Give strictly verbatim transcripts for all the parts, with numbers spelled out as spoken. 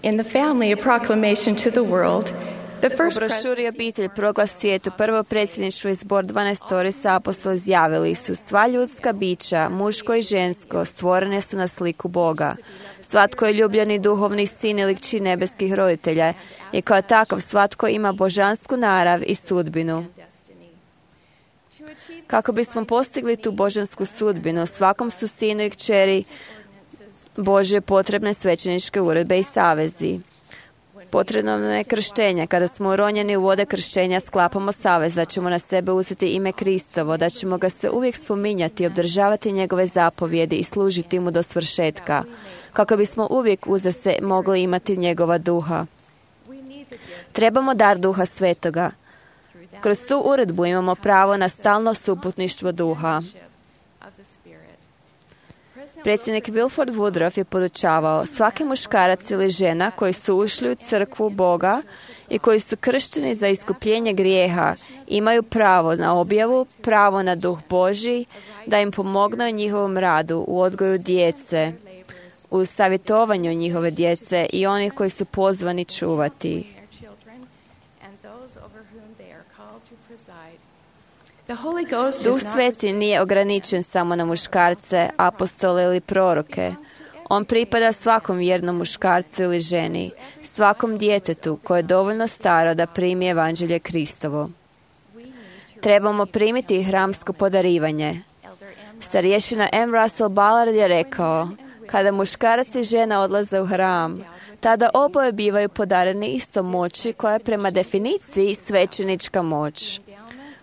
In the family, a proclamation to the world. The U first brošuri Obitelj proglas svijetu, prvo predsjedništvo i zbor dvanaestorica apostola izjavili su: sva ljudska bića, muško i žensko, stvorene su na sliku Boga. Svatko je ljubljeni duhovni sin ili kći nebeskih roditelja i kao takav svatko ima božansku narav i sudbinu. Kako bismo postigli tu božansku sudbinu, svakom su sinu i kćeri Božje potrebne svećeničke uredbe i savezi. Potrebno nam je krštenje. Kada smo uronjeni u vode krštenja, sklapamo savez da ćemo na sebe uzeti ime Kristovo, da ćemo ga se uvijek spominjati, obdržavati njegove zapovjedi i služiti mu do svršetka, kako bismo uvijek uza se mogli imati njegova duha. Trebamo dar Duha Svetoga. Kroz tu uredbu imamo pravo na stalno suputništvo duha. Predsjednik Wilford Woodruff je podučavao: svaki muškarac ili žena koji su ušli u crkvu Boga i koji su kršteni za iskupljenje grijeha imaju pravo na objavu, pravo na duh Božji, da im pomogne u njihovom radu, u odgoju djece, u savjetovanju njihove djece i onih koji su pozvani čuvati. Duh Sveti nije ograničen samo na muškarce, apostole ili proroke. On pripada svakom vjernom muškarcu ili ženi, svakom djetetu koje je dovoljno staro da primi evanđelje Kristovo. Trebamo primiti hramsko podarivanje. Starješina M. Russell Ballard je rekao: kada muškarac i žena odlaze u hram, tada oboje bivaju podareni istom moći koja je prema definiciji svećenička moć.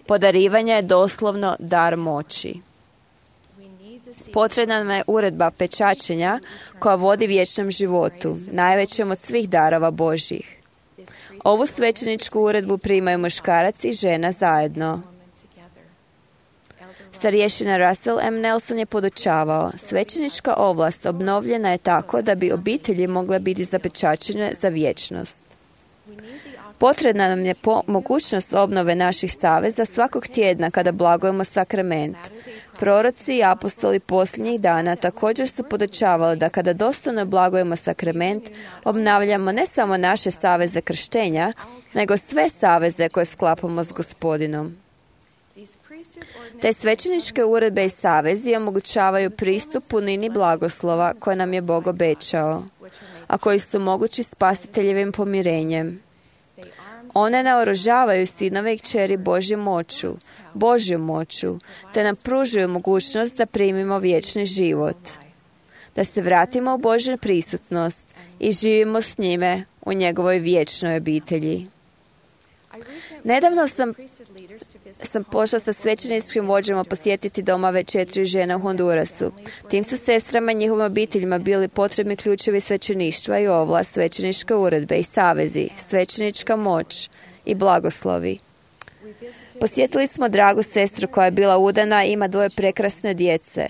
Podarivanje je doslovno dar moći. Potrebna nam je uredba pečačenja koja vodi vječnom životu, najvećem od svih darova Božjih. Ovu svećeničku uredbu primaju muškarac i žena zajedno. Starješina Russell M. Nelson je podučavao: svećenička ovlast obnovljena je tako da bi obitelji mogle biti zapečačene za vječnost. Potrebna nam je po- mogućnost obnove naših saveza svakog tjedna kada blagujemo sakrament. Proroci i apostoli posljednjih dana također su podučavali da kada dostojno blagujemo sakrament, obnavljamo ne samo naše saveze krštenja, nego sve saveze koje sklapamo s Gospodinom. Te svećeničke uredbe i savezi omogućavaju pristup punini blagoslova koje nam je Bog obećao, a koji su mogući spasiteljevim pomirenjem. One naoružavaju sinove i kćeri Božju moću, Božju moću, te nam pružuju mogućnost da primimo vječni život, da se vratimo u Božju prisutnost i živimo s njime u njegovoj vječnoj obitelji. Nedavno sam, sam pošla sa svećeničkim vođama posjetiti domove četiri žene u Hondurasu. Tim su sestrama i njihovim obiteljima bili potrebni ključevi svećeništva i ovlast, svećeničke uredbe i savezi, svećenička moć i blagoslovi. Posjetili smo dragu sestru koja je bila udana i ima dvoje prekrasne djece.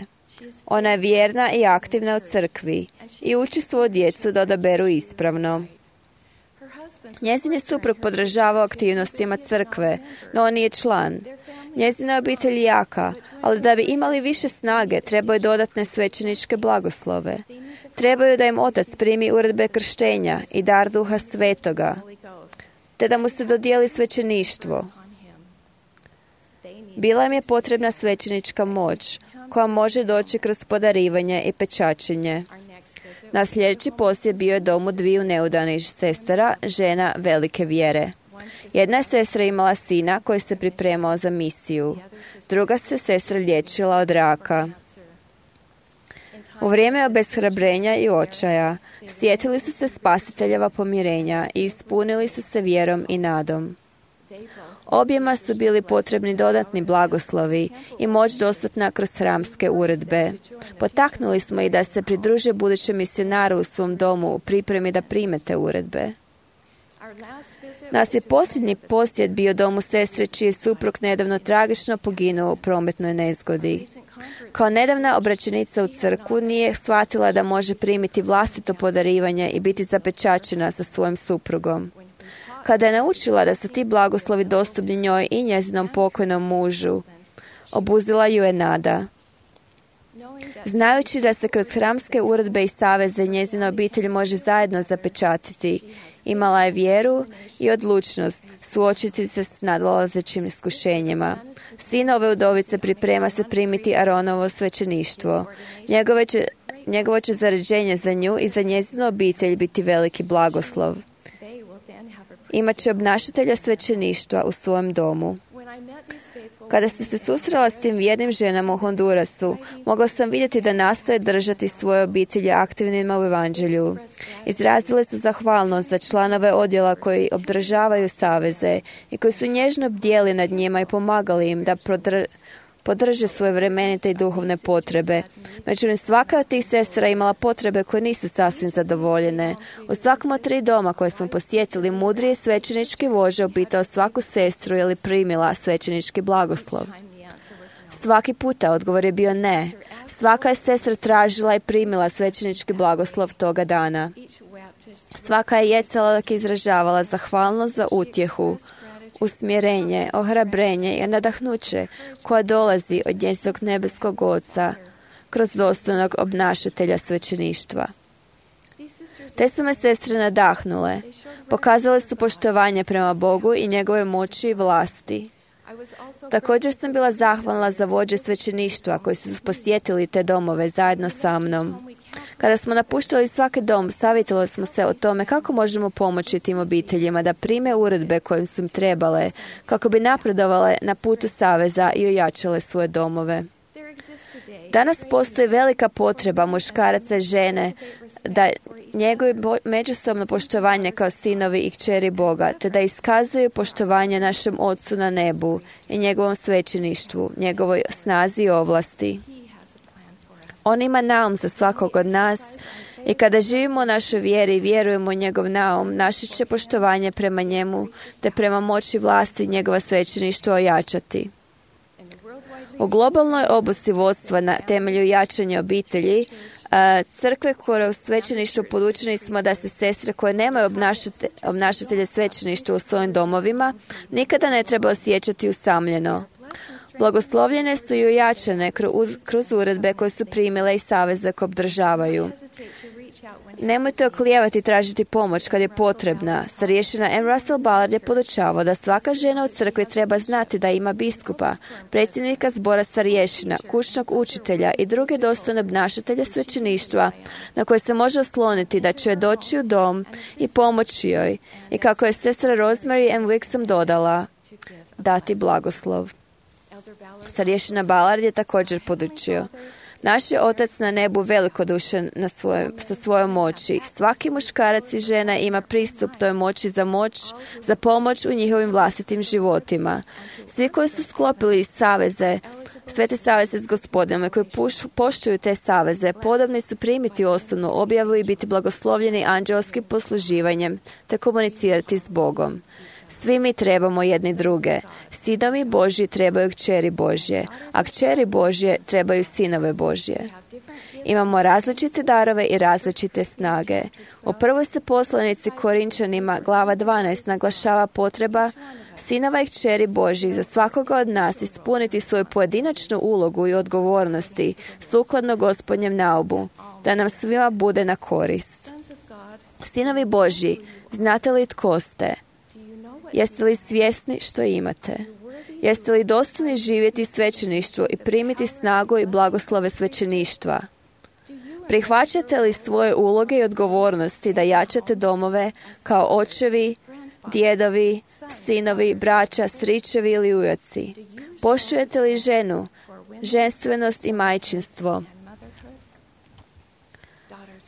Ona je vjerna i aktivna u crkvi i uči svoju djecu da odaberu ispravno. Njezin je suprug podržavao aktivnostima crkve, no on nije član. Njezina obitelj je jaka, ali da bi imali više snage, trebaju dodatne svećeničke blagoslove. Trebaju da im otac primi uredbe krštenja i dar Duha Svetoga, te da mu se dodijeli svećeništvo. Bila im je potrebna svećenička moć, koja može doći kroz podarivanje i pečačenje. Na sljedeći posjet bio je domu dviju neudanih sestara, žena velike vjere. Jedna je sestra imala sina koji se pripremao za misiju. Druga se sestra liječila od raka. U vrijeme obeshrabrenja i očaja sjetili su se spasiteljeva pomirenja i ispunili su se vjerom i nadom. Objema su bili potrebni dodatni blagoslovi i moć dostupna kroz hramske uredbe. Potaknuli smo ih da se pridruže budućem misionaru u svom domu u pripremi da prime te uredbe. Nas je posljednji posjet bio domu sestre čiji je suprug nedavno tragično poginuo u prometnoj nezgodi. Kao nedavna obraćenica u crkvu nije shvatila da može primiti vlastito podarivanje i biti zapečačena sa svojim suprugom. Kada je naučila da su ti blagoslovi dostupni njoj i njezinom pokojnom mužu, obuzila ju je nada. Znajući da se kroz hramske uredbe i saveze njezina obitelj može zajedno zapečatiti, imala je vjeru i odlučnost suočiti se s nadolazećim iskušenjima. Sin ove udovice priprema se primiti Aronovo svećeništvo. Njegove će, njegovo će zaređenje za nju i za njezinu obitelj biti veliki blagoslov. Imaće obnašatelja svećeništva u svojem domu. Kada sam se susrela s tim vjernim ženama u Hondurasu, mogla sam vidjeti da nastoje držati svoje obitelji aktivnima u evanđelju. Izrazile su zahvalnost za članove odjela koji obdržavaju saveze i koji su nježno bdjeli nad njima i pomagali im da prodr- podrže svoje vremenite i duhovne potrebe. Međutim, svaka od tih sestra imala potrebe koje nisu sasvim zadovoljene. U svakom od tri doma koje smo posjetili, mudri je svećenički vođa upitao svaku sestru je li primila svećenički blagoslov. Svaki puta odgovor je bio ne. Svaka je sestra tražila i primila svećenički blagoslov toga dana. Svaka je jecala dok je izražavala zahvalnost za utjehu, usmjerenje, ohrabrenje i nadahnuće koja dolazi od njezinog nebeskog Oca kroz dostojnog obnašatelja svećeništva. Te su me sestre nadahnule. Pokazale su poštovanje prema Bogu i njegove moći i vlasti. Također sam bila zahvalna za vođe svećeništva koji su posjetili te domove zajedno sa mnom. Kada smo napuštali svaki dom, savjetovali smo se o tome kako možemo pomoći tim obiteljima da prime uredbe koje su im trebale, kako bi napredovale na putu saveza i ojačale svoje domove. Danas postoji velika potreba muškaraca i žene da njeguju međusobno poštovanje kao sinovi i kćeri Boga, te da iskazuju poštovanje našem Otcu na nebu i njegovom svećeništvu, njegovoj snazi i ovlasti. On ima naum za svakog od nas i kada živimo u našoj vjeri i vjerujemo u njegov naum, naše će poštovanje prema njemu te prema moći vlasti njegova svećeništva ojačati. U globalnoj obuci vodstva na temelju jačanja obitelji, crkve koje u svećeništvu podučeni smo da se sestre koje nemaju obnašate, obnašatelje svećeništva u svojim domovima nikada ne treba osjećati usamljeno. Blagoslovljene su i ojačane kroz, kroz uredbe koje su primile i saveze koje obdržavaju. Nemojte oklijevati i tražiti pomoć kad je potrebna. Starješina M. Russell Ballard je podučavao da svaka žena u crkvi treba znati da ima biskupa, predsjednika zbora starješina, kućnog učitelja i druge dostojne obnašatelje svećeništva na koje se može osloniti da će joj doći u dom i pomoći joj i kako je sestra Rosemary M. Wixom dodala, dati blagoslov. Starješina Ballard je također podučio. Naš je Otac na nebu velikodušan na svoje, sa svojom moći. Svaki muškarac i žena ima pristup toj moći za moć, za pomoć u njihovim vlastitim životima. Svi koji su sklopili saveze, sve te saveze s Gospodinom i koji puš, poštuju te saveze, podobni su primiti osnovnu objavu i biti blagoslovljeni anđelskim posluživanjem, te komunicirati s Bogom. Svi mi trebamo jedni druge. Sinovi Božji trebaju kćeri Božje, a kćeri Božje trebaju sinove Božje. Imamo različite darove i različite snage. U prvoj se poslanici Korinčanima, glava dvanaest, naglašava potreba sinova i kćeri Božjih za svakoga od nas ispuniti svoju pojedinačnu ulogu i odgovornosti sukladno Gospodnjem naumu, da nam svima bude na korist. Sinovi Božji, znate li tko ste? Jeste li svjesni što imate? Jeste li dostojni živjeti svećeništvo i primiti snagu i blagoslove svećeništva? Prihvaćate li svoje uloge i odgovornosti da jačate domove kao očevi, djedovi, sinovi, braća, stričevi ili ujaci? Poštujete li ženu, ženstvenost i majčinstvo?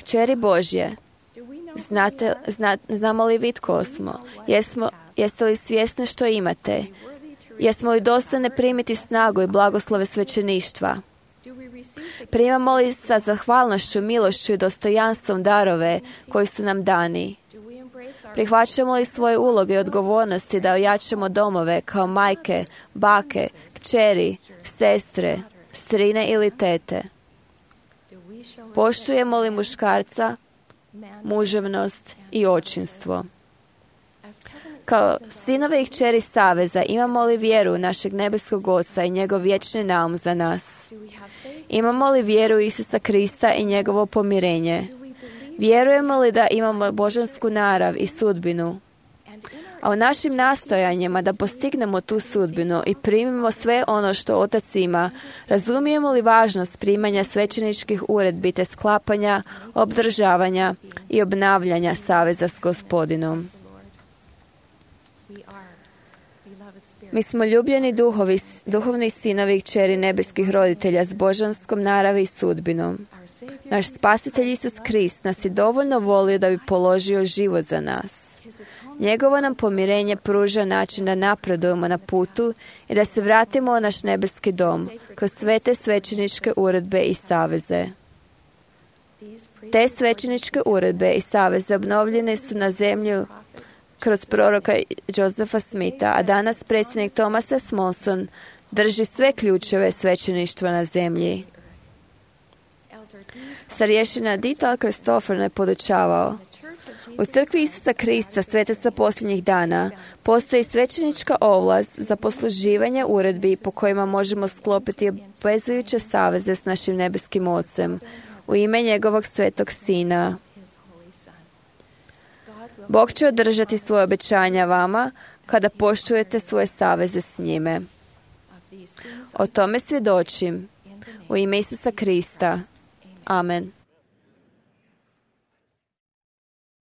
Kćeri Božje, znate, zna, znamo li vi tko smo? Jesmo Jeste li svjesni što imate? Jesmo li dostojne primiti snagu i blagoslove svećeništva? Primamo li sa zahvalnošću, milošću i dostojanstvom darove koji su nam dani? Prihvaćamo li svoje uloge i odgovornosti da ojačamo domove kao majke, bake, kćeri, sestre, strine ili tete? Poštujemo li muškarca, muževnost i očinstvo? Kao sinove i kćeri saveza imamo li vjeru našeg nebeskog Oca i njegov vječni naum za nas? Imamo li vjeru Isusa Krista i njegovo pomirenje? Vjerujemo li da imamo božansku narav i sudbinu? A u našim nastojanjima da postignemo tu sudbinu i primimo sve ono što Otac ima, razumijemo li važnost primanja svećeničkih uredbi te sklapanja, obdržavanja i obnavljanja saveza s Gospodinom? Mi smo ljubljeni duhovi, duhovni sinovi i kćeri nebeskih roditelja s božanskom naravi i sudbinom. Naš Spasitelj Isus Krist nas je dovoljno volio da bi položio život za nas. Njegovo nam pomirenje pruža način da napredujemo na putu i da se vratimo u naš nebeski dom kroz sve te svećeničke uredbe i saveze. Te svećeničke uredbe i saveze obnovljene su na zemlju kroz proroka Josepha Smitha, a danas predsjednik Thomas S. Monson drži sve ključeve svećeništva na zemlji. Starješina Dieter Christopher je podučavao: u crkvi Isusa Krista, svetaca posljednjih dana, postoji svećenička ovlast za posluživanje uredbi po kojima možemo sklopiti obvezujuće saveze s našim nebeskim Ocem u ime njegovog svetog Sina. Bog će održati svoje obećanja vama kada poštujete svoje saveze s njime. O tome svjedočim u ime Isusa Krista. Amen.